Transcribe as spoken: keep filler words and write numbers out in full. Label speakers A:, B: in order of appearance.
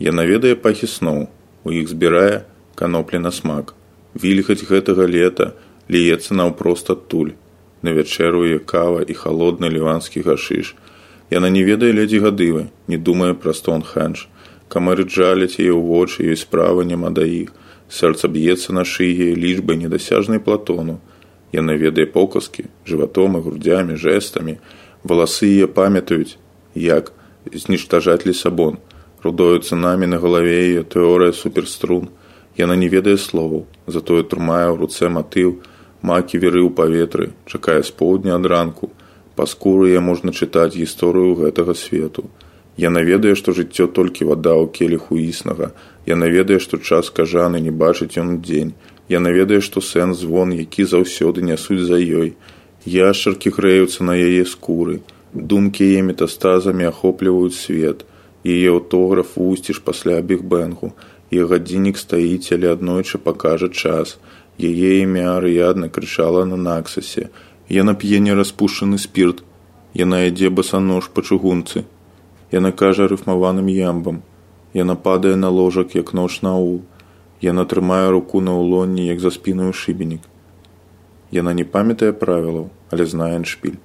A: Яна ведае пахі сноў, у іх збірае каноплі на смак. Вільгаць гэтага лета ліецца наўпрост адтуль. На вячэру яе кава і халодны ліванскі гашыш. Яна не ведае ледзі гадывы, не думае пра Стоунхендж. Камары джаляць яе ў вочы, ёй справы няма да іх. Сэрца б'ецца на шыі лічбай недасяжнай Платону. Яна ведае показкі, жыватом і грудзямі, жэстамі. Валасы яе памятаюць, як зніштажаць Лісабон. Рудою цынамі на галаве яе тэорыя суперструн. Яна не ведае словаў, затое трымае ў руцэ матыў, макі віры ў паветры, чакае з поўдня ад ранку. Па скуры яе можна чытаць гісторыю гэтага свету. Яна ведае, што жыццё толькі вада ў келіху існага. Яна ведае, што час кажаны не бачыць ён дзень. Яна ведае, што сэнс звон, які заўсёды нясуць за ёй. Яшчаркі грэюцца на яе скуры. Думкі яе метастазамі ахопліваюць свет. Яе аўтограф вусціш пасля бігбэнгу. Яе гадзіннік стаіць, але аднойчы пакажа час. Яе імя арыядна крычала на Наксасе. Яна п'е нераспушчаны спірт. Яна ядзе басанож па чыгунцы. Яна кажа рыфмаваным ямбам. Яна падае на ложак, як ноч на аул. Яна трымае руку на ўлонні, як за спінаю шыбенік. Яна не памятае правілаў, але знае эндшпіль.